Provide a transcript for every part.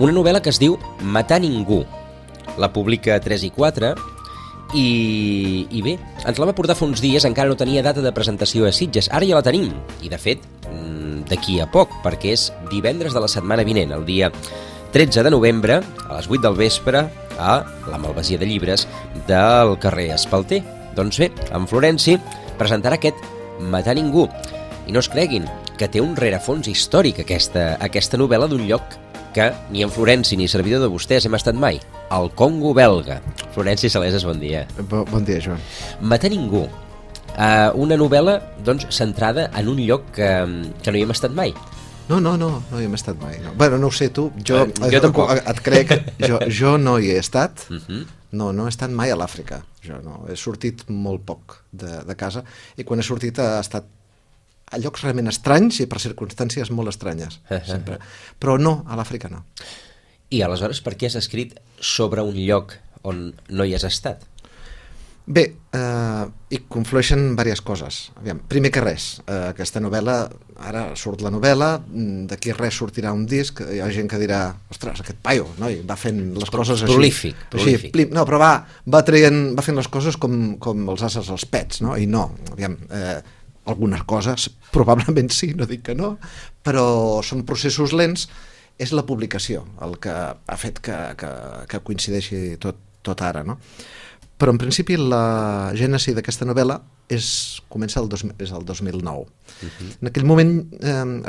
Una novel·la que es diu Matar ningú. La publica 3 i 4 i bé, ens la va portar fa uns dies, encara no tenia data de presentació a Sitges, ara ja la tenim, i de fet d'aquí a poc, perquè és divendres de la setmana vinent, el dia 13 de novembre, a les 8 del vespre, a la Malvasia de Llibres del carrer Espalter. Doncs bé, en Florenci presentarà aquest Matar ningú, i no es creguin que té un rerefons històric aquesta novel·la d'un lloc que ni en Florenci ni servidor de vostès hem estat mai, el Congo belga. Florenci Saleses, bon dia. Bon dia, Joan. Matar ningú, una novel·la doncs, centrada en un lloc que no hi hem estat mai. No hi hem estat mai. No. Bueno, no ho sé tu, jo tampoc. Et crec, jo no hi he estat, no he estat mai a l'Àfrica. Jo no, he sortit molt poc de casa i quan he sortit ha estat a llocs realment estranys i per circumstàncies molt estranyes, sempre. Però no, a l'Àfrica no. I aleshores per què has escrit sobre un lloc on no hi has estat? Bé, hi conflueixen diverses coses. Aviam, primer que res, aquesta novel·la, ara surt la novel·la, d'aquí res sortirà un disc, hi ha gent que dirà, ostres, aquest paio, noi, va fent les coses així. Prolífic. No, però va fent les coses com els ases als pets, no? I no, aviam, algunes coses, probablement sí, no dic que no, però són processos lents, és la publicació el que ha fet que coincideixi tot ara, no? Però en principi la gènesi d'aquesta novel·la comença el 2009. En aquell moment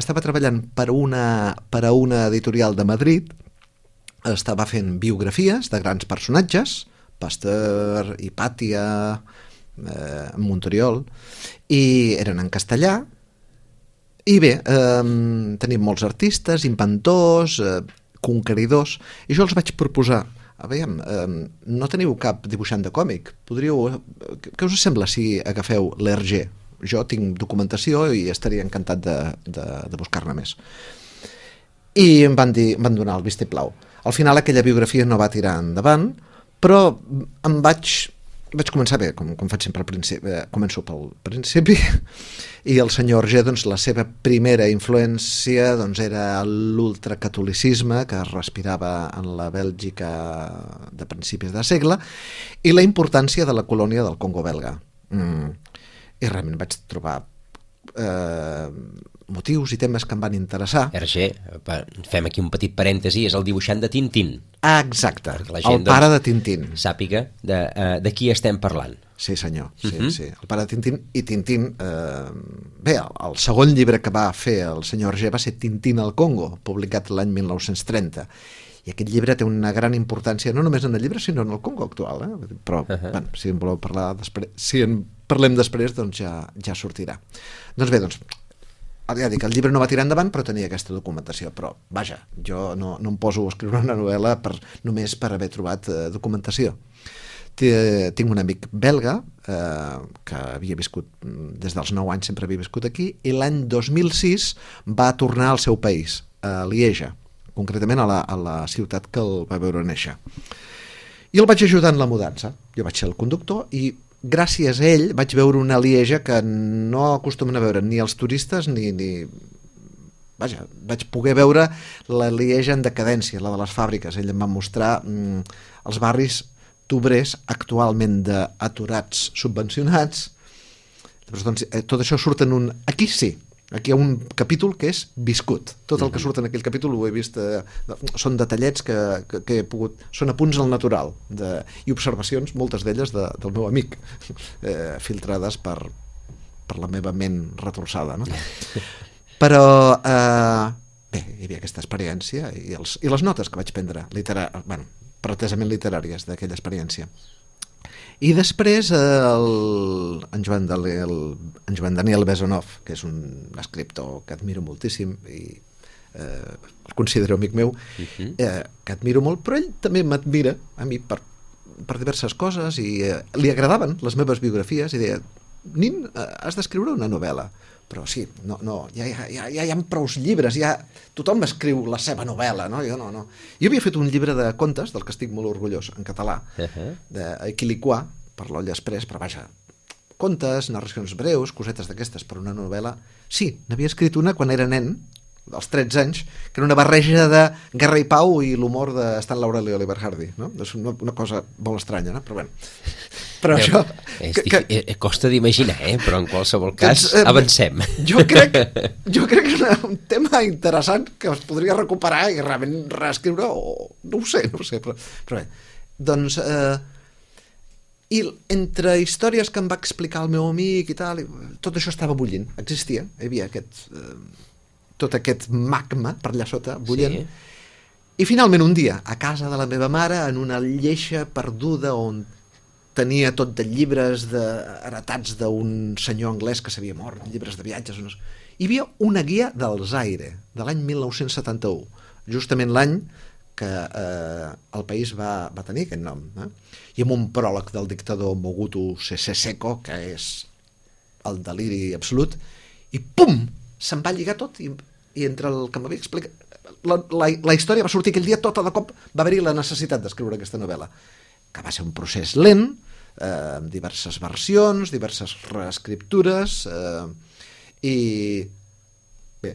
estava treballant per a una editorial de Madrid, estava fent biografies de grans personatges, Pasteur, Hipàtia, Montoriol, i eren en castellà, i bé, tenim molts artistes, inventors, conqueridors, i jo els vaig proposar, aviam, no teniu cap dibuixant de còmic, què us sembla si agafeu l'Hergé? Jo tinc documentació i estaria encantat de buscar-ne més. I em van donar el vistiplau. Al final aquella biografia no va tirar endavant, però vaig començar bé, com faig sempre al principi, començo pel principi, i el senyor Hergé, doncs, la seva primera influència era l'ultracatolicisme que es respirava en la Bèlgica de principis de segle i la importància de la colònia del Congo belga. I realment vaig trobar motius i temes que em van interessar. Hergé, fem aquí un petit parèntesi, és el dibuixant de Tintín. Exacte, el pare de Tintín. Sàpiga de qui estem parlant. Sí, senyor, sí. El pare de Tintín. I Tintín, bé, el segon llibre que va fer el senyor Hergé va ser Tintín al Congo, publicat l'any 1930. I aquest llibre té una gran importància, no només en el llibre, sinó en el Congo actual. Però, bueno, si en voleu parlar després, si en parlem després, doncs ja sortirà. Doncs bé, ja dic, el llibre no va tirar endavant, però tenia aquesta documentació. Però, vaja, jo no em poso a escriure una novel·la només per haver trobat documentació. Tinc un amic belga que havia viscut des dels 9 anys, sempre havia viscut aquí, i l'any 2006 va tornar al seu país, a Lieja, concretament a la ciutat que el va veure néixer. I el vaig ajudar en la mudança. Jo vaig ser el conductor i gràcies a ell vaig veure una Lieja que no acostumen a veure ni els turistes ni... Vaja, vaig poder veure la Lieja en decadència, la de les fàbriques. Ell em va mostrar els barris d'obrers actualment d'aturats subvencionats. Doncs, tot això surt en un... Aquí sí, aquí hi ha un capítol que és viscut. Tot el que surt en aquell capítol ho he vist... són detallets que he pogut... Són apunts al natural i observacions, moltes d'elles del meu amic, filtrades per la meva ment retorçada, no? Però bé, hi havia aquesta experiència i les notes que vaig prendre pretesament literàries d'aquella experiència. I després en Joan Daniel Besonov, que és un escriptor que admiro moltíssim i el considero amic meu, que admiro molt, però ell també m'admira a mi per diverses coses i li agradaven les meves biografies i deia, nin, has d'escriure una novel·la. Però sí, ja hi ha prous llibres, tothom escriu la seva novel·la, no? Jo no. Jo havia fet un llibre de contes, del que estic molt orgullós, en català, d'Equiliquà, per l'Olla Express, però vaja, contes, narracions breus, cosetes d'aquestes per una novel·la. Sí, n'havia escrit una quan era nen, dels 13 anys, que era una barreja de Guerra i Pau i l'humor de Stan Laurel i Oliver Hardy, no? És una cosa molt estranya, no? Però bueno, però això... Costa d'imaginar, però en qualsevol cas avancem. Jo crec que és un tema interessant que es podria recuperar i realment reescriure, o no ho sé, però bé, doncs... I entre històries que em va explicar el meu amic i tal, tot això estava bullint, existia, hi havia tot aquest magma per allà sota, bullent. Sí. I finalment un dia, a casa de la meva mare, en una lleixa perduda on tenia tot de llibres heretats d'un senyor anglès que s'havia mort, llibres de viatges, hi havia una guia del Zaire, de l'any 1971, justament l'any que el país va tenir aquest nom, i amb un pròleg del dictador Mobutu Sese Seko, que és el deliri absolut, i pum! Se'n va lligar tot, i entre el que m'havia explicat la història va sortir aquell dia, tota de cop va haver-hi la necessitat d'escriure aquesta novel·la, que va ser un procés lent, amb diverses versions, diverses reescriptures, i bé,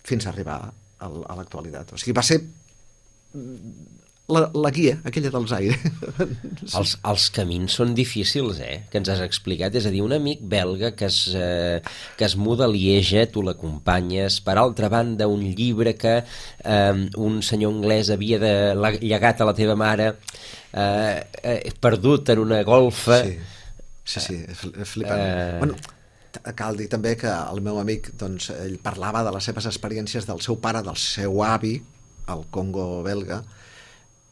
fins a arribar a l'actualitat. O sigui, va ser la guia, aquella del Zaire. Els camins són difícils, que ens has explicat. És a dir, un amic belga que es muda a Lieja, tu l'acompanyes. Per altra banda, un llibre que un senyor anglès havia llegat a la teva mare, perdut en una golfa. Sí, flipant. Bueno, cal dir també que el meu amic, doncs, ell parlava de les seves experiències del seu pare, del seu avi, al Congo belga,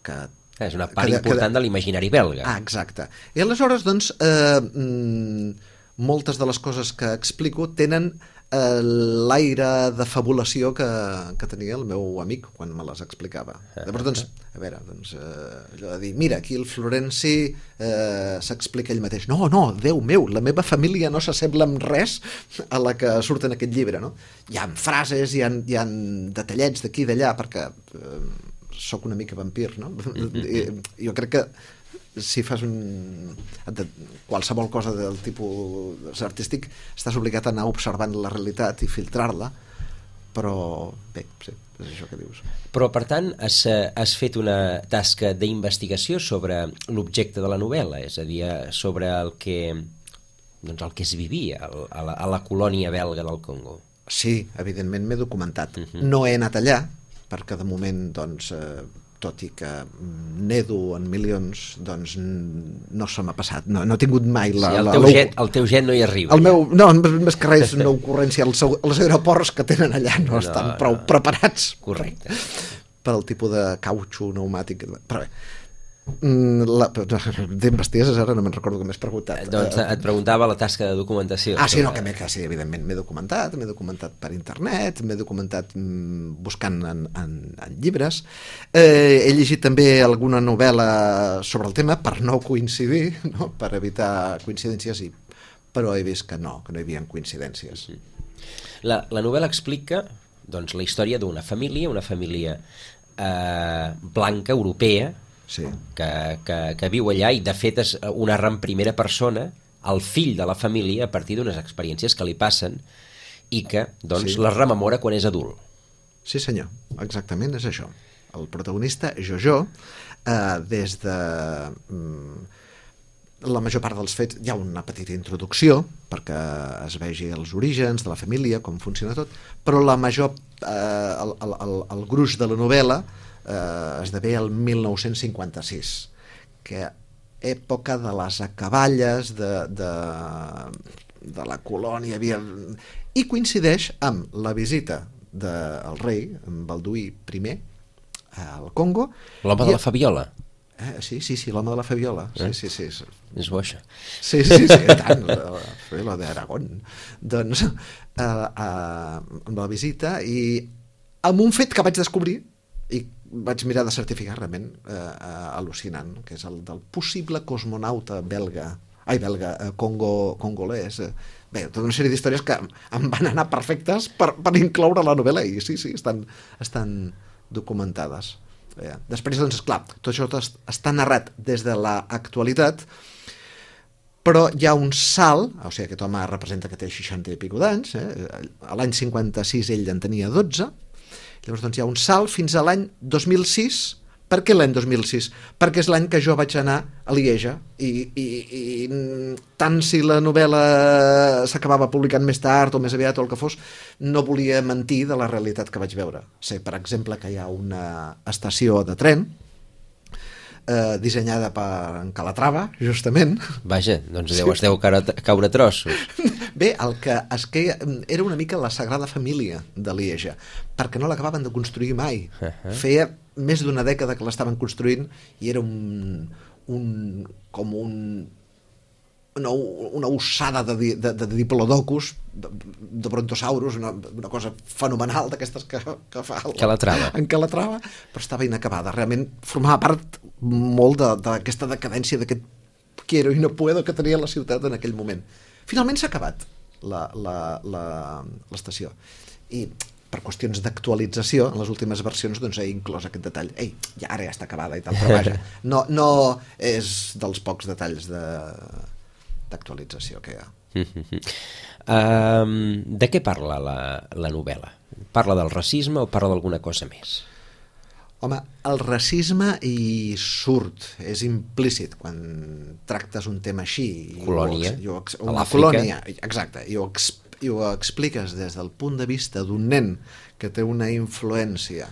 que és una part important de l'imaginari belga. Exacte. I aleshores, doncs, moltes de les coses que explico tenen l'aire de fabulació que tenia el meu amic quan me les explicava. Llavors, doncs, a veure, allò de dir, mira, aquí el Florenci s'explica ell mateix. No, Déu meu, la meva família no s'assembla en res a la que surt en aquest llibre, no? Hi ha frases, hi ha detallets d'aquí i d'allà, perquè sóc una mica vampir, no? Jo crec que si fas qualsevol cosa del tipus artístic estàs obligat a anar observant la realitat i filtrar-la, però bé, sí, és això que dius. Però per tant has fet una tasca d'investigació sobre l'objecte de la novel·la, és a dir, sobre el que es vivia a la colònia belga del Congo. Sí, evidentment m'he documentat. No he anat allà, perquè de moment, doncs, tot i que nedo en milions, doncs no se m'ha passat, no he tingut mai el teu jet no hi arriba. No, més que res, una ocurrència, els aeroports que tenen allà no estan prou preparats. Correcte. Per al tipus de cautxo pneumàtic, però bé, d'investigacions ara no me'n recordo que m'has preguntat. Doncs et preguntava la tasca de documentació. Sí, evidentment m'he documentat per internet, m'he documentat buscant en llibres, he llegit també alguna novel·la sobre el tema per no coincidir, no? Per evitar coincidències, però he vist que no hi havia coincidències. La novel·la explica, doncs, la història d'una família blanca, europea, sí, que viu allà, i de fet és un narra en primera persona el fill de la família a partir d'unes experiències que li passen i que doncs les rememora quan és adult. Sí senyor, exactament és això. El protagonista, Jojo, des de la major part dels fets hi ha una petita introducció perquè es vegi els orígens de la família, com funciona tot, però la major el gruix de la novel·la esdevé el 1956, que època de les acaballes de la colònia i coincideix amb la visita del rei, en Balduí I, al Congo. L'home de la Fabiola. Sí, l'home de la Fabiola. Sí. És bo, això. Sí, tant, la Fabiola d'Aragón. Doncs amb la visita i amb un fet que vaig descobrir i vaig mirar de certificar realment al·lucinant, que és el del possible cosmonauta congolès. Bé, tota una sèrie d'històries que em van anar perfectes per incloure la novel·la i sí, estan documentades. Després, doncs, esclar, tot això està narrat des de l'actualitat, però hi ha un salt, o sigui, aquest home representa que té 60 i pico d'anys, a l'any 56 ell en tenia 12, llavors doncs hi ha un salt fins a l'any 2006. Per què l'any 2006? Perquè és l'any que jo vaig anar a Lieja i tant si la novel·la s'acabava publicant més tard o més aviat o el que fos, no volia mentir de la realitat que vaig veure. Sé, per exemple, que hi ha una estació de tren dissenyada per en Calatrava, justament. Vaja, doncs es deu caure a trossos. Bé, el que es queia era una mica la Sagrada Família de Lieja, perquè no l'acabaven de construir mai. Feia més d'una dècada que l'estaven construint i era una ossada de diplodocus, de brontosaurus, una cosa fenomenal d'aquestes que fa en Calatrava, però estava inacabada. Realment formava part molt d'aquesta decadència, d'aquest quiero i no puedo que tenia la ciutat en aquell moment. Finalment s'ha acabat l'estació i per qüestions d'actualització en les últimes versions doncs he inclòs aquest detall. Ara ja està acabada i tal, però vaja, no és dels pocs detalls d'actualització que hi ha. De què parla la novel·la? Parla del racisme o parla d'alguna cosa més? Home, el racisme hi surt, és implícit quan tractes un tema així. Colònia, una colònia, exacte, i ho expliques des del punt de vista d'un nen que té una influència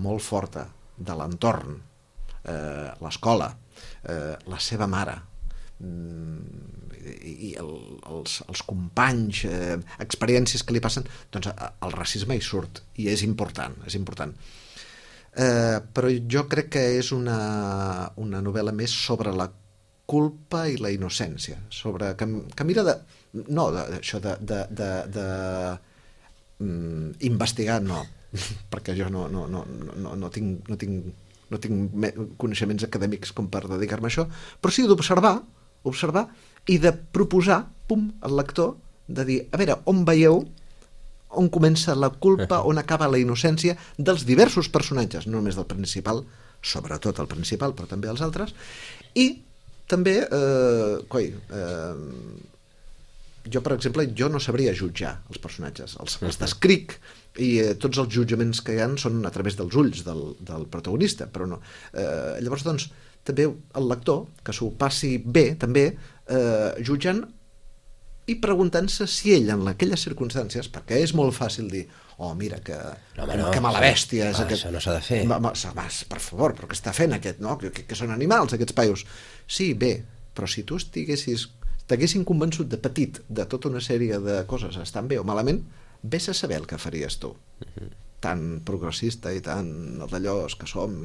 molt forta de l'entorn, l'escola, la seva mare, i els companys, experiències que li passen, doncs el racisme hi surt i és important, però jo crec que és una novel·la més sobre la culpa i la innocència, sobre que mira investigar no, perquè jo no tinc coneixements acadèmics com per dedicar-me a això, però sí d'observar i de proposar, al lector, de dir, a veure, on veieu on comença la culpa, on acaba la innocència dels diversos personatges, no només del principal, sobretot el principal, però també els altres, i també, jo, per exemple, jo no sabria jutjar els personatges, els descric, i tots els jutjaments que hi ha són a través dels ulls del protagonista, però no. Llavors, doncs, també el lector, que s'ho passi bé, també, jutjant i preguntant-se si ell, en aquelles circumstàncies, perquè és molt fàcil dir, mira, que mala bèstia és aquest... Això no s'ha de fer. Per favor, però què està fent aquest, no? Que són animals, aquests paios. Sí, bé, però si tu t'haguessin convençut de petit de tota una sèrie de coses estan bé o malament, vés a saber el que faries tu. Tan progressista i tan d'allò que som.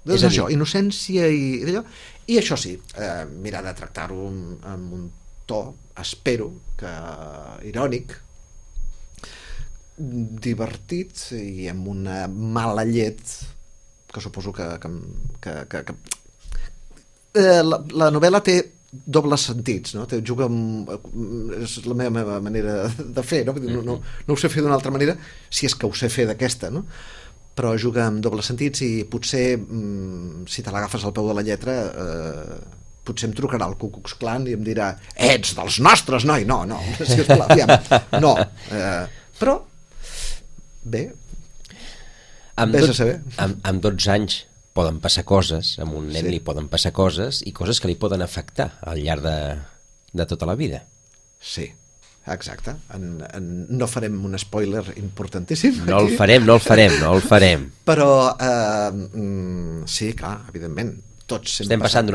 És això, innocència i d'allò. I això sí, mirar de tractar-ho amb un to, espero, que irònic, divertit i amb una mala llet que suposo que la novel·la té dobles sentits, no? Juga amb... és la meva manera de fer, no ho sé fer d'una altra manera, si és que ho sé fer d'aquesta, no? Però juga amb dobles sentits i potser, si te l'agafes al peu de la lletra, potser em trucarà el Ku Klux Klan i em dirà ets dels nostres, noi! No, sisplau, no. Però, bé, vés a saber. Amb 12 anys poden passar coses, amb un nen li poden passar coses i coses que li poden afectar al llarg de tota la vida. Sí. Exacte, no farem un spoiler importantíssim no el farem però sí, clar, evidentment tots estem parlant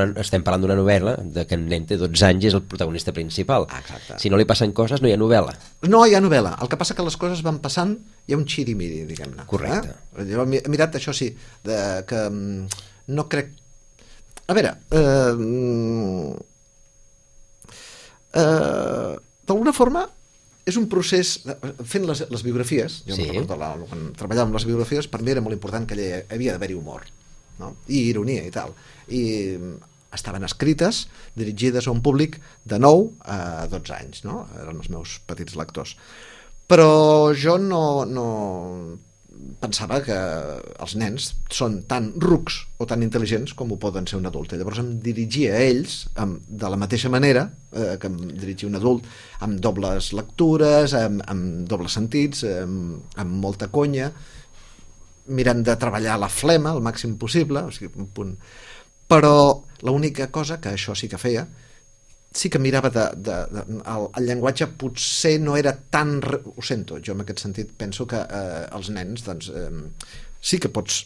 d'una novel·la de que en nen té 12 anys i és el protagonista principal. Exacte. Si no li passen coses no hi ha novel·la. No hi ha novel·la, el que passa que les coses van passant, hi ha un xirimiri, diguem-ne. Correcte. Jo he mirat això sí, que no crec... A veure, d'alguna forma és un procés, fent les biografies, jo em recordo quan treballava amb les biografies, per mi era molt important que havia d'haver-hi humor, no? I ironia i tal, i estaven escrites, dirigides a un públic de 9 a 12 anys, no? Eren els meus petits lectors, però jo no pensava que els nens són tan rucs o tan intel·ligents com ho poden ser un adult. I llavors em dirigia a ells de la mateixa manera que em dirigia un adult, amb dobles lectures, amb dobles sentits, amb molta conya, mirant de treballar la flema el màxim possible, o sigui, un punt. Però l'única cosa que això sí que feia, sí que mirava el llenguatge potser no era tan... Ho sento, jo en aquest sentit penso que els nens doncs, sí que pots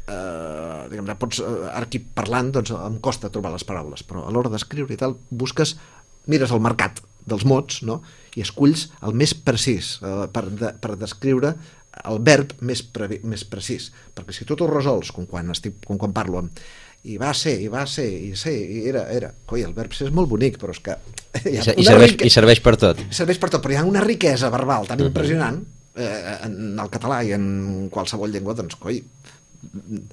pots ara aquí parlant doncs em costa trobar les paraules, però a l'hora d'escriure i tal mires el mercat dels mots, no? I esculls el més precís per descriure el verb més precís, perquè si tu t'ho resols com quan parlo amb i va ser, i era. Coi, el verb ser és molt bonic, però és que... I serveix per tot. Serveix per tot, però hi ha una riquesa verbal tan impressionant en el català i en qualsevol llengua, doncs, coi,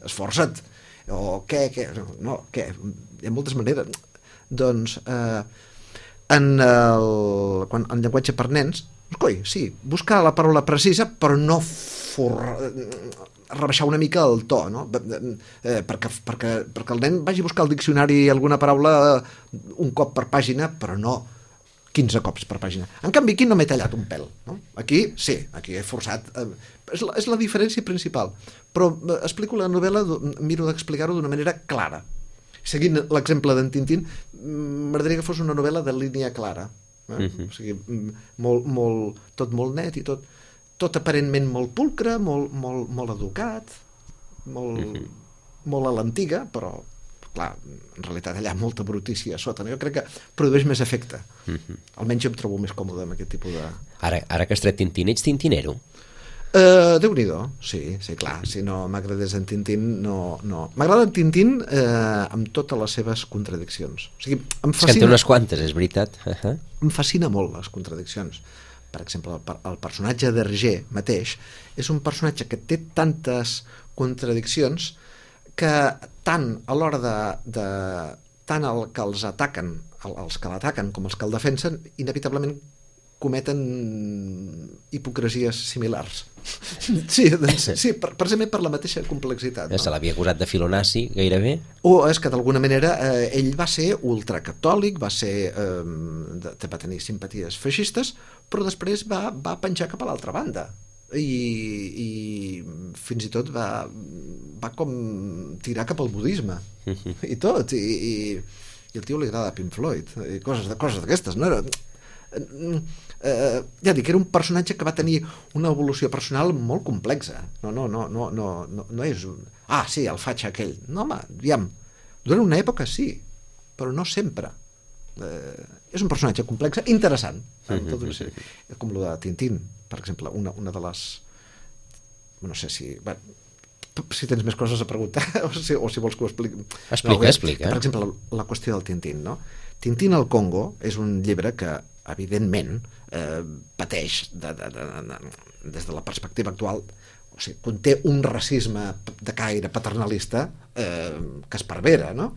esforça't. O què? No, què? Hi ha moltes maneres. Doncs, en llenguatge per nens, coi, sí, buscar la paraula precisa, però no rebaixar una mica el to, no? perquè el nen vagi a buscar al diccionari alguna paraula un cop per pàgina, però no 15 cops per pàgina. En canvi, aquí no m'he tallat un pèl, no? Aquí sí, aquí he forçat. És la diferència principal. Però explico la novel·la, miro d'explicar-ho d'una manera clara. Seguint l'exemple d'en Tintín, m'agradaria que fos una novel·la de línia clara. O sigui, tot molt net i tot aparentment molt pulcre, molt educat, molt a l'antiga, però clar, en realitat allà molta brutícia a sota. Jo crec que produeix més efecte. Almenys jo em trobo més còmode amb aquest tipus de... Ara que has tret Tintín, ets tintinero? Déu-n'hi-do, sí, clar. Si no m'agradés en Tintín, no. M'agrada en Tintín amb totes les seves contradiccions. O sigui, em fascina... És que en té unes quantes, és veritat. Em fascina molt les contradiccions. Per exemple, el personatge d'Hergé mateix és un personatge que té tantes contradiccions que tant a l'hora tant el que els ataquen, els que l'ataquen com els que el defensen, inevitablement cometen hipocresies similars. Sí, precisament per la mateixa complexitat. Se l'havia acusat de filonazi, gairebé. O és que d'alguna manera ell va ser ultracatòlic, va tenir simpaties feixistes, però després va penjar cap a l'altra banda. I fins i tot va com tirar cap al budisme i tot, i al tio li agrada Pink Floyd i coses d'aquestes, no era... ja dic, era un personatge que va tenir una evolució personal molt complexa. No és un... Ah, sí, el faig aquell. No, home, aviam, durant una època sí, però no sempre. És un personatge complex, interessant. Com el de Tintín, per exemple, una de les... No sé si tens més coses a preguntar o si vols que ho expliqui. Explica. Per exemple, la qüestió del Tintín, no? Tintín al Congo és un llibre que evidentment pateix des de la perspectiva actual, o sigui, conté un racisme de caire paternalista que esparvera, no?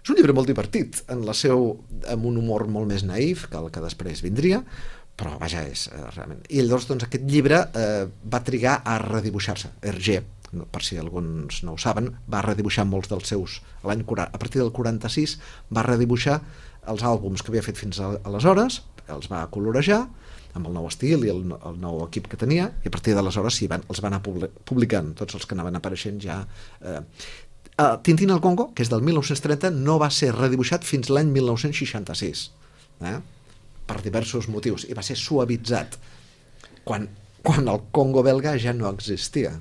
És un llibre molt divertit amb un humor molt més naïf que el que després vindria, però vaja, és realment... I llavors doncs, aquest llibre va trigar a redibuixar-se. Hergé, per si alguns no ho saben, va redibuixar molts dels seus... A partir del 46 va redibuixar els àlbums que havia fet fins aleshores, els va colorejar amb el nou estil i el nou equip que tenia, i a partir d'aleshores els va anar publicant tots els que anaven apareixent ja. Tintín al Congo, que és del 1930, no va ser redibuixat fins l'any 1966, per diversos motius, i va ser suavitzat quan el Congo belga ja no existia.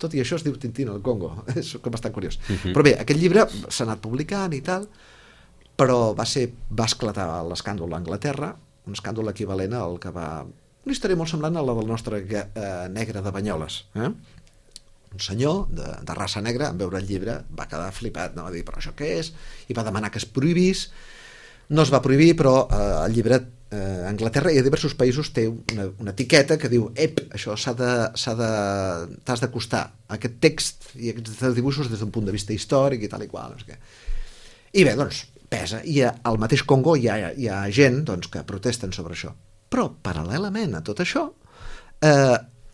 Tot i això es diu Tintín al Congo, és bastant curiós. Però bé, aquest llibre s'ha anat publicant i tal, però va esclatar l'escàndol a Anglaterra, un escàndol equivalent al que va... Una història molt semblant a la del nostre negre de Banyoles. Un senyor de raça negra, en veure el llibre, va quedar flipat, no? Va dir, però això què és? I va demanar que es prohibís. No es va prohibir, però el llibre a Anglaterra i a diversos països té una etiqueta que diu això t'has d'acostar a aquest text i aquests dibuixos des d'un punt de vista històric i tal i qual. I bé, doncs, pesa. I al mateix Congo hi ha gent doncs, que protesten sobre això. Però, paral·lelament a tot això,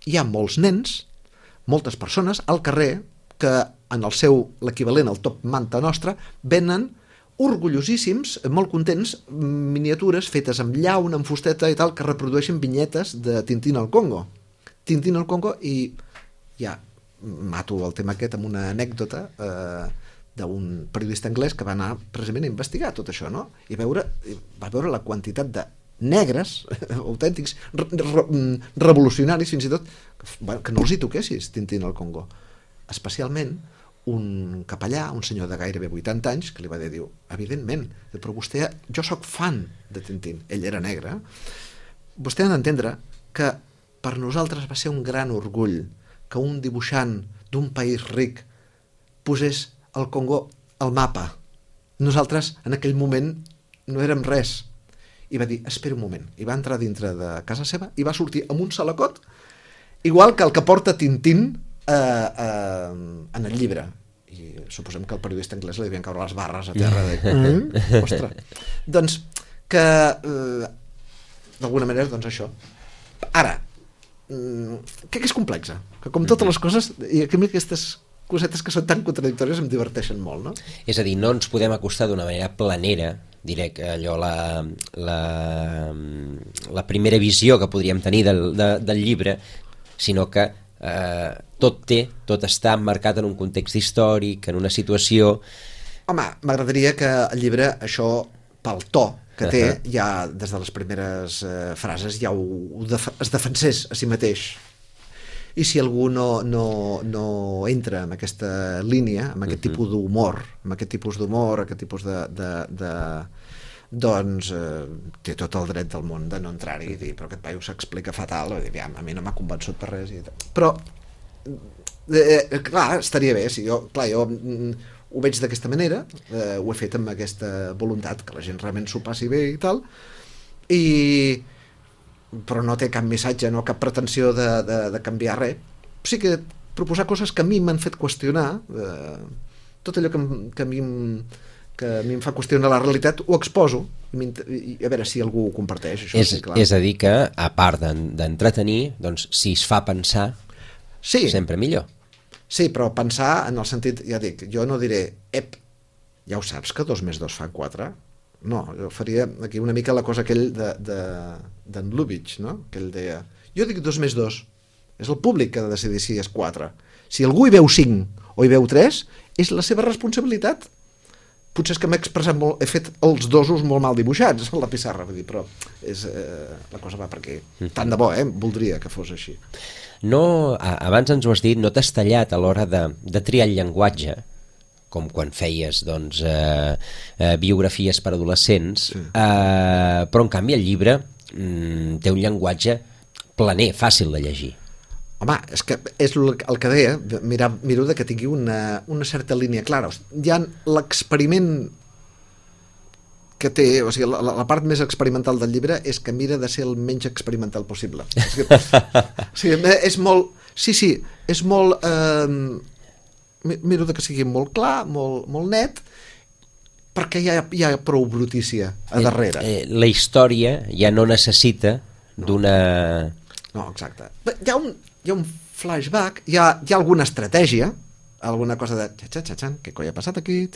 hi ha molts nens, moltes persones al carrer que en el seu, l'equivalent al top manta nostra, venen orgullosíssims, molt contents, miniatures fetes amb llauna, amb fusteta i tal, que reprodueixen vinyetes de Tintín al Congo. Tintín al Congo, i ja mato el tema aquest amb una anècdota d'un periodista anglès que va anar precisament a investigar tot això, no? I va veure la quantitat de negres autèntics, revolucionaris fins i tot, que no els hi toquessis Tintín al Congo. Especialment un capellà, un senyor de gairebé 80 anys, que li va dir, diu, evidentment, però vostè, jo sóc fan de Tintín, ell era negre, vostè ha d'entendre que per nosaltres va ser un gran orgull que un dibuixant d'un país ric posés el Congo al mapa. Nosaltres en aquell moment no érem res. I va dir, espera un moment, i va entrar dintre de casa seva i va sortir amb un salacot igual que el que porta Tintín en el llibre. I suposem que el periodista anglès li devien caure les barres a terra de... Ostres. Doncs que d'alguna manera, doncs això. Ara, que és complexa, que com totes les coses, i aquestes cosetes que són tan contradictòries em diverteixen molt, no? És a dir, no ens podem acostar d'una manera planera, diré que allò la primera visió que podríem tenir del llibre, sinó que tot està emmarcat en un context històric, en una situació... Home, m'agradaria que el llibre, això, pel to que té, ja des de les primeres frases ja es defensés a si mateix. I si algú no entra en aquesta línia, en aquest tipus d'humor, aquest tipus de doncs té tot el dret del món de no entrar-hi i dir, però aquest paio s'explica fatal, i dir, a mi no m'ha convençut per res. Però, clar, estaria bé, si jo ho veig d'aquesta manera, ho he fet amb aquesta voluntat, que la gent realment s'ho passi bé i tal, però no té cap missatge, no cap pretensió de canviar res. Sí que proposar coses que a mi m'han fet qüestionar, tot allò que a mi em fa qüestionar la realitat, ho exposo, i a veure si algú ho comparteix. Això és a dir que, a part d'entretenir, doncs, si es fa pensar, sempre millor. Sí, però pensar en el sentit, ja dic, jo no diré, ja ho saps que 2 més 2 fan 4? No, jo faria aquí una mica la cosa aquell d'en Lubitsch, no? Que ell deia, jo dic 2 més 2, és el públic que ha de decidir si és 4. Si algú hi veu 5 o hi veu 3, és la seva responsabilitat. Potser és que m'he expressat molt, he fet els dosos molt mal dibuixats a la pissarra, vull dir, però la cosa va per aquí. Tant de bo, voldria que fos així. No, abans ens ho has dit, no t'has tallat a l'hora de triar el llenguatge, com quan feies doncs, biografies per adolescents, però en canvi el llibre té un llenguatge planer, fàcil de llegir. Home, és que és el que deia, miro que tingui una certa línia clara. Hi ha l'experiment que té, o sigui, la part més experimental del llibre és que mira de ser el menys experimental possible. És molt... Sí, és molt... Miro que sigui molt clar, molt net, perquè hi ha prou brutícia a darrere. La història ja no necessita d'una... No, exacte. Hi ha un flashback, hi ha alguna estratègia, alguna cosa de què coi ha passat aquí,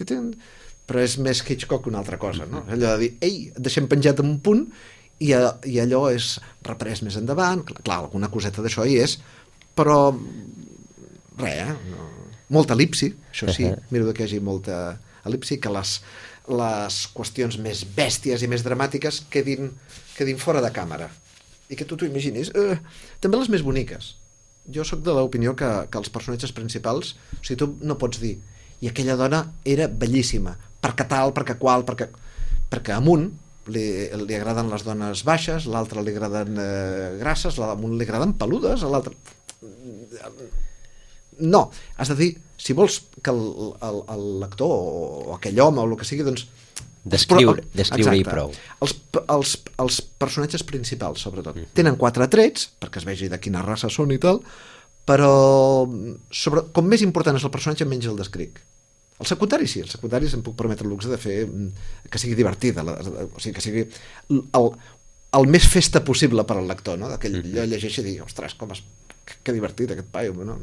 però és més Hitchcock que una altra cosa, no? Allò de dir, et deixem penjat en un punt i allò és reprès més endavant, clar, alguna coseta d'això hi és, però res, molta elipsi, això sí, miro que hi hagi molta elipsi, que les qüestions més bèsties i més dramàtiques quedin fora de càmera i que tu t'ho imaginis. També les més boniques. Jo sóc de l'opinió que els personatges principals, o sigui, tu no pots dir i aquella dona era bellíssima, perquè tal, perquè qual, perquè a un li agraden les dones baixes, a l'altre li agraden grasses, a un li agraden peludes, a l'altre... No, has de dir, si vols que el lector o aquell home o el que sigui, doncs... Descriure-hi prou. Els personatges principals, sobretot. Tenen 4 trets, perquè es vegi de quina raça són i tal, però com més important és el personatge, menys el descric. El secundari sí, el secundari se'm puc permetre el luxe de fer que sigui divertida, o sigui, que sigui el més festa possible per al lector, no? Que ell llegeixi i digui, ostres, que divertit aquest paio, no?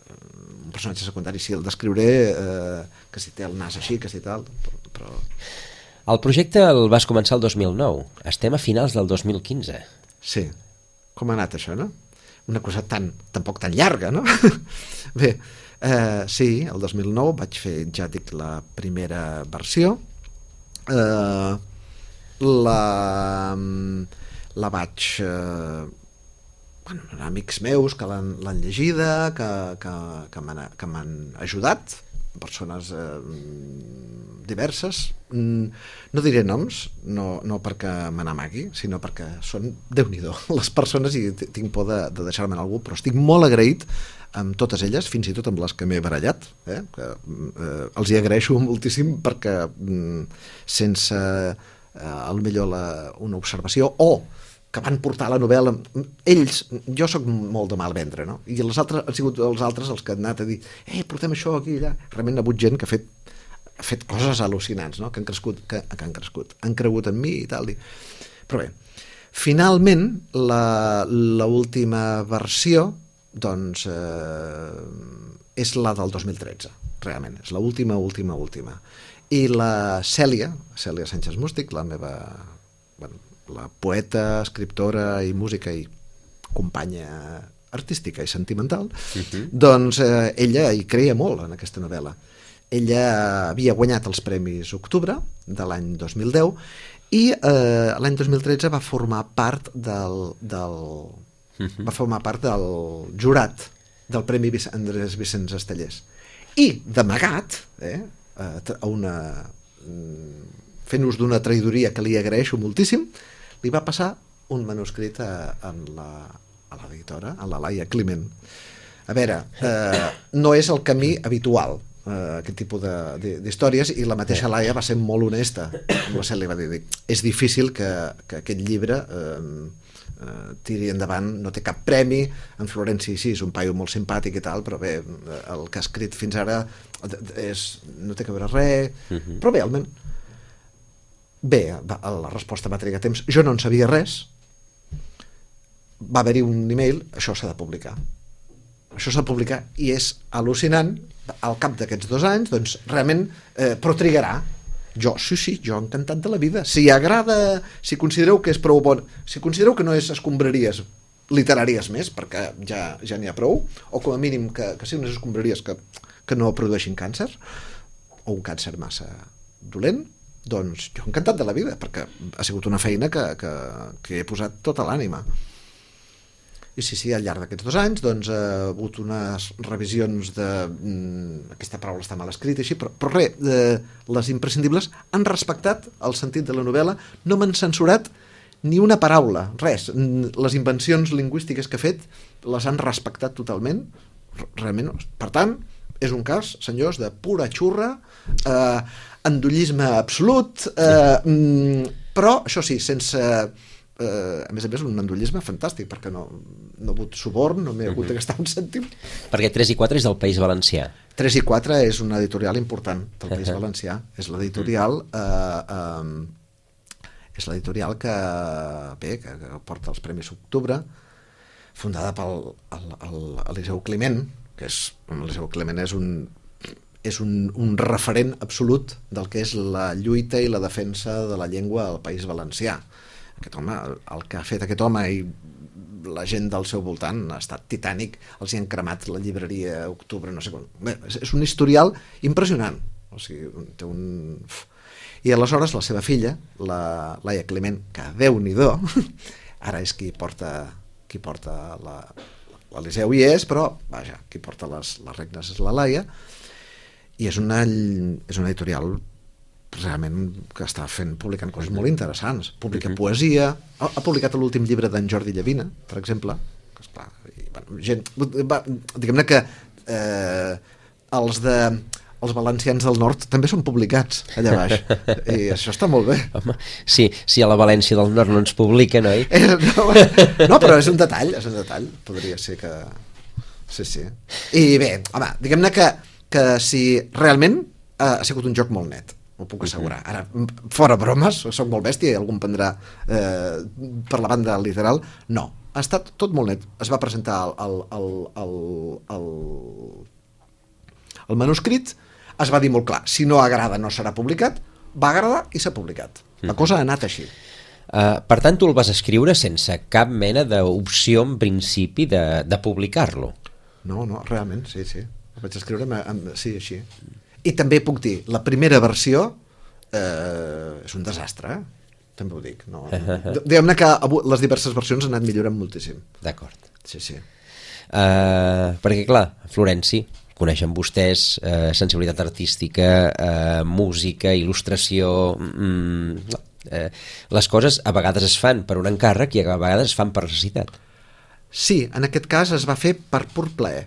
Un personatge secundari, sí, el descriuré, que si té el nas així, que si tal, però... El projecte el vas començar el 2009. Estem a finals del 2015. Sí. Com ha anat això, no? Una cosa tampoc tan llarga, no? Bé, sí, el 2009 vaig fer, ja dic, la primera versió. La vaig... amics meus que l'han llegida, que m'han ajudat, persones diverses. No diré noms, no perquè me n'amagui, sinó perquè són, Déu-n'hi-do, les persones, i tinc por de deixar-me en algú, però estic molt agraït amb totes elles, fins i tot amb les que m'he barallat, que els hi agraeixo moltíssim, perquè sense potser una observació o que van portar la novel·la, ells, jo sóc molt de mal vendre, no? I els altres han sigut els altres els que han anat a dir portem això aquí i allà. Realment hi ha hagut gent que ha fet coses al·lucinants, no? que han cregut en mi i tal. Però bé, finalment l'última versió doncs és la del 2013, realment, és l'última. I la Cèlia Sánchez Mústic, la meva... la poeta, escriptora i música i companya artística i sentimental, doncs ella hi creia molt en aquesta novel·la. Ella havia guanyat els Premis Octubre de l'any 2010 i l'any 2013 va formar part del jurat del Premi Andrés Vicenç Estellés. I d'amagat, fent ús d'una traïdoria que li agraeixo moltíssim, li va passar un manuscrit a l'editora, a la Laia Climent. A veure, no és el camí habitual, aquest tipus d'històries, i la mateixa Laia va ser molt honesta amb la Cèlia, va dir, és difícil que aquest llibre tiri endavant, no té cap premi, en Florenci sí, és un paio molt simpàtic i tal, però bé, el que ha escrit fins ara no té que veure res, però bé, almenys bé, la resposta va trigar temps, jo no en sabia res, va haver-hi un email, això s'ha de publicar i és al·lucinant. Al cap d'aquests 2 anys doncs realment, però trigarà. Jo encantat de la vida, si agrada, si considereu que és prou bon, si considereu que no és escombraries literàries més, perquè ja n'hi ha prou, o com a mínim que siguin unes escombraries que no produeixin càncer, o un càncer massa dolent, doncs jo encantat de la vida, perquè ha sigut una feina que he posat tota l'ànima. I sí, al llarg d'aquests 2 anys doncs ha hagut unes revisions aquesta paraula està mal escrita així, però res, les imprescindibles han respectat el sentit de la novel·la, no m'han censurat ni una paraula, res. Les invencions lingüístiques que he fet les han respectat totalment, realment. Per tant, és un cas, senyors, de pura xurra, endollisme absolut, però això sí, sense a més un endollisme fantàstic, perquè no he hagut suborn, no m'he hagut de gastar un cèntim. Perquè 3 i 4 és del País Valencià. 3 i 4 és una editorial important del País Valencià, és l'editorial que porta els Premis Octubre, fundada pel Eliseu Climent, que l'Eliseu Climent és un referent absolut del que és la lluita i la defensa de la llengua al País Valencià. Aquest home, el que ha fet aquest home i la gent del seu voltant ha estat titànic, els hi han cremat la llibreria Octubre, no sé com. Bé, és un historial impressionant. O sigui, té un... I aleshores la seva filla, la Laia Climent, que Déu-n'hi-do, ara és qui porta l'Eliseu hi és, però vaja, qui porta les regnes és la Laia, i és una editorial realment que està publicant coses molt interessants. Publica poesia, ha publicat l'últim llibre d'en Jordi Llavina, per exemple, que esclar, diguem-ne que els valencians del nord també són publicats allà baix, i això està molt bé. Home, sí, si a la València del nord no ens publiquen, oi? No, però és un detall, podria ser que... Sí. I bé, home, diguem-ne que si realment ha sigut un joc molt net, ho puc assegurar. Ara, fora bromes, soc molt bèstia i algú em prendrà per la banda literal, no. ha estat tot molt net. Es va presentar el manuscrit, es va dir molt clar, si no agrada no serà publicat, va agradar i s'ha publicat. La cosa ha anat així. Per tant, tu el vas escriure sense cap mena d'opció en principi de publicar-lo. No, realment, sí. El vaig escriure, sí, així. I també puc dir, la primera versió és un desastre, també ho dic. No. Diguem-ne que les diverses versions han anat millorant moltíssim. D'acord. Sí. Perquè, clar, Florenci, coneixen vostès sensibilitat artística, música, il·lustració... les coses a vegades es fan per un encàrrec i a vegades es fan per necessitat. Sí, en aquest cas es va fer per pur plaer.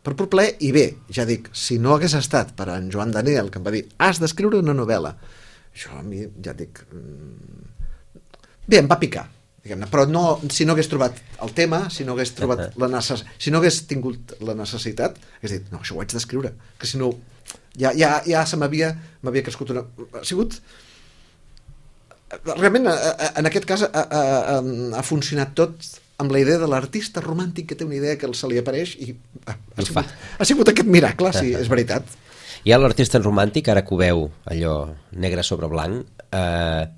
Per pur plaer, i bé, ja dic, si no hagués estat per en Joan Daniel, que em va dir, has d'escriure una novel·la, això a mi, ja dic... Bé, em va picar, diguem-ne, però no, si no hagués trobat el tema, si no hagués trobat si no hagués tingut la necessitat, hagués dit, no, això ho haig d'escriure, que si no, ja se m'havia crescut una... Ha sigut... Realment, en aquest cas, ha funcionat tot amb la idea de l'artista romàntic que té una idea que se li apareix i ha sigut aquest miracle, sí, és veritat. I l'artista romàntic, ara que ho veu allò negre sobre blanc,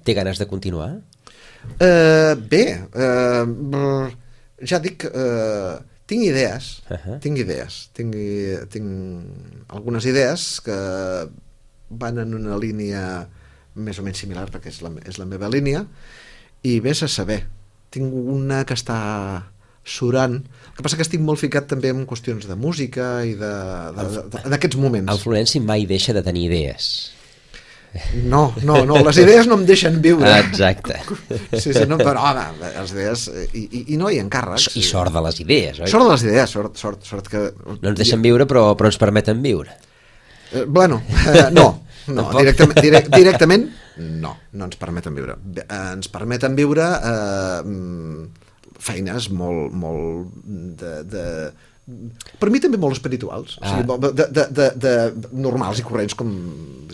té ganes de continuar? Bé, ja dic, tinc idees, tinc algunes idees que van en una línia més o menys similar, perquè és la meva línia, i vés a saber, tinc una que està surant, el que passa que estic molt ficat també en qüestions de música i en aquests moments. El Florenci mai deixa de tenir idees. No, les idees no em deixen viure. Exacte. Sí, no, però home, les idees i no hi ha encàrrecs. I sort de les idees, oi? Sort de les idees, sort que... No ens deixen viure, però ens permeten viure. Bueno, no, directament no ens permeten viure. Ens permeten viure feines molt per mi també molt espirituals, o sigui, de normals i corrents com...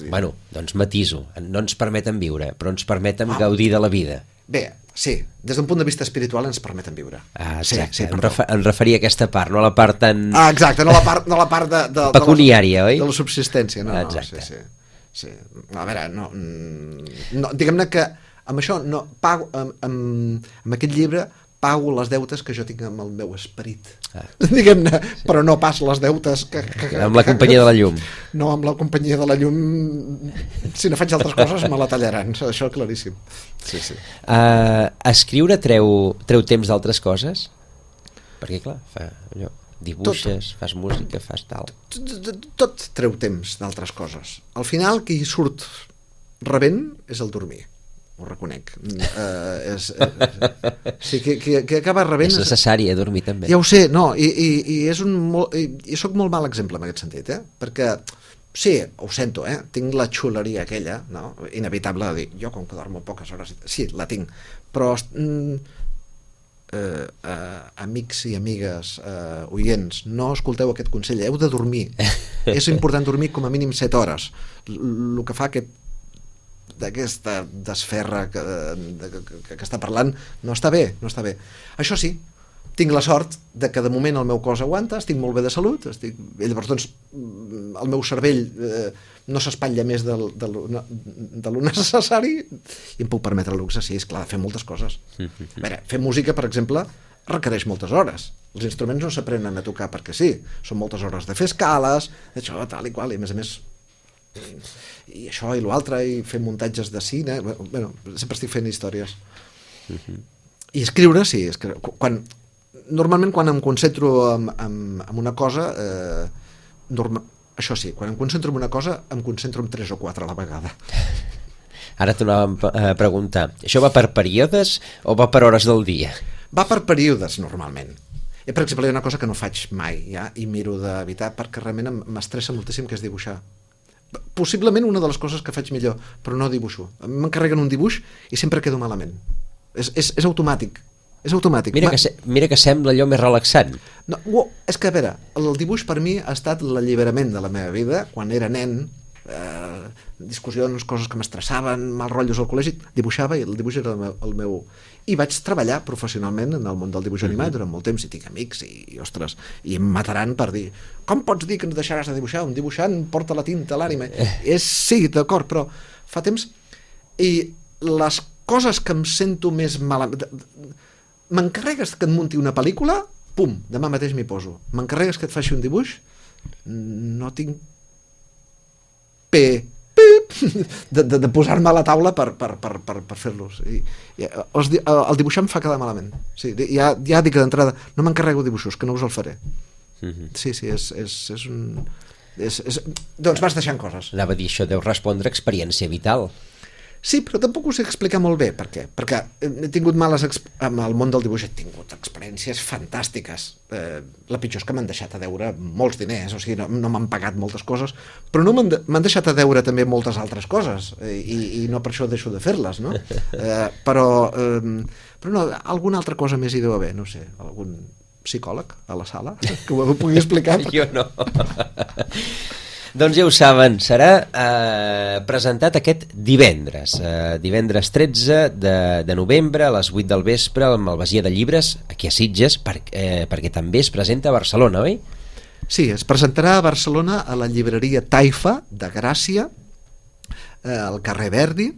Bueno, doncs matiso, no ens permeten viure, però ens permeten gaudir de la vida. Bé, sí, des d'un punt de vista espiritual ens permeten viure. Exacte, em referia a aquesta part, no a la part tan... Exacte, no la part de pecuniària, oi? De la subsistència, no. Exacte. Sí. A veure, no, diguem-ne que amb això no pago, amb aquest llibre pago les deutes que jo tinc amb el meu esperit, diguem-ne, però no pas les deutes que amb la companyia de la llum. No, amb la companyia de la llum, si no faig altres coses me la tallaran, això claríssim. Sí. Escriure treu temps d'altres coses? Perquè clar, allò, dibuixes, fas música, fas tal... Tot treu temps d'altres coses. Al final qui surt rebent és el dormir, ho reconec. Sí, que acaba rebent... És necessari dormir també. Ja ho sé, no, i soc molt mal exemple en aquest sentit, perquè sí, ho sento, tinc la xuleria aquella, no? Inevitable de dir, jo com que dormo poques hores, sí, la tinc, però amics i amigues oients, no escolteu aquest consell, heu de dormir. És important dormir com a mínim 7 hores. El que fa d'aquesta desferra que està parlant no està bé. Això sí, tinc la sort de que de moment el meu cos aguanta, estic molt bé de salut, llavors doncs el meu cervell no s'espatlla més de lo necessari i em puc permetre el luxe, sí, és clar, de fer moltes coses. A veure, fer música, per exemple, requereix moltes hores. Els instruments no s'aprenen a tocar perquè sí, són moltes hores de fer escales, això, tal i qual, i a més i això i l'altre, i fer muntatges de cine, bueno, sempre estic fent històries. I escriure, sí, normalment quan em concentro en una cosa, això sí, quan em concentro en una cosa em concentro en 3 o 4 a la vegada. Ara t'anàvem a preguntar, això va per períodes o va per hores del dia? Va per períodes, normalment. Per exemple, hi ha una cosa que no faig mai, i miro d'evitar perquè realment m'estressa moltíssim, que és dibuixar. Possiblement una de les coses que faig millor, però no dibuixo. M'encarreguen un dibuix i sempre quedo malament. És automàtic. És automàtic. Mira que sembla allò més relaxant. No, és que, a veure, el dibuix per mi ha estat l'alliberament de la meva vida. Quan era nen, discussions, coses que m'estressaven, mal rotllos al col·legi, dibuixava i el dibuix era el meu... I vaig treballar professionalment en el món del dibuix animat durant molt temps, i tinc amics i ostres, i em mataran per dir com pots dir que ens deixaràs de dibuixar? Un dibuixant porta la tinta a l'ànime. Sí, d'acord, però fa temps... I les coses que em sento més malament... M'encarregues que et munti una pel·lícula, pum, demà mateix m'hi poso. M'encarregues que et faci un dibuix, no tinc de posar-me a la taula per fer-los. El dibuixar em fa quedar malament. Sí, ja dic d'entrada, no m'encarrego dibuixos, que no us el faré. Sí, és un... Doncs vas deixant coses. Anava a dir, això deu respondre a experiència vital. Sí, però tampoc ho sé explicar molt bé. Per què? Perquè he tingut amb el món del dibuix he tingut experiències fantàstiques. La pitjor és que m'han deixat a deure molts diners, o sigui, no m'han pagat moltes coses, però no m'han deixat a deure també moltes altres coses, i no per això deixo de fer-les, no? Però no, alguna altra cosa més hi deu haver, no sé, algun psicòleg a la sala que ho pugui explicar. Jo no. Doncs ja ho saben, serà presentat aquest divendres 13 de novembre a les 8 del vespre al Malvasia de Llibres, aquí a Sitges, perquè també es presenta a Barcelona, oi? Sí, es presentarà a Barcelona a la llibreria Taifa de Gràcia, al carrer Verdi,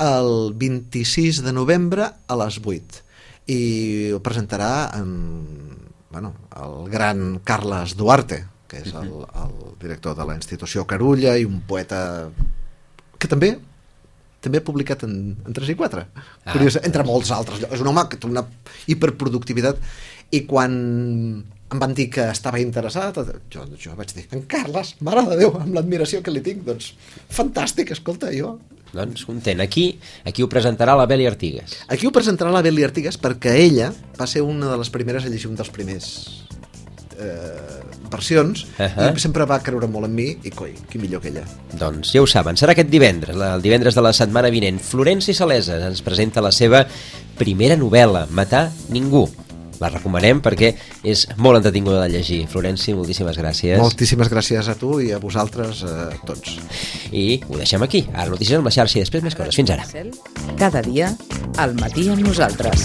el 26 de novembre a les 8. I ho presentarà el gran Carles Duarte, que és el director de la institució Carulla i un poeta que també ha publicat en 3 i 4. Curiós, entre molts altres. És un home que té una hiperproductivitat, i quan em van dir que estava interessat, jo vaig dir, en Carles, mare de Déu, amb l'admiració que li tinc, doncs fantàstic, escolta, jo... Doncs content. Aquí ho presentarà la Beli Artigas. Aquí ho presentarà la Beli Artigas perquè ella va ser una de les primeres a llegir un dels primers versions, i sempre va creure molt en mi, i coi, qui millor que ella. Doncs ja ho saben, serà aquest divendres, el divendres de la setmana vinent. Florenci Salesa ens presenta la seva primera novel·la, Matar ningú. La recomanem perquè és molt entretinguda de llegir. Florenci, moltíssimes gràcies. Moltíssimes gràcies a tu i a vosaltres, tots. I ho deixem aquí. Ara notícies amb la xarxa i després més coses. Fins ara. Cada dia, al matí amb nosaltres.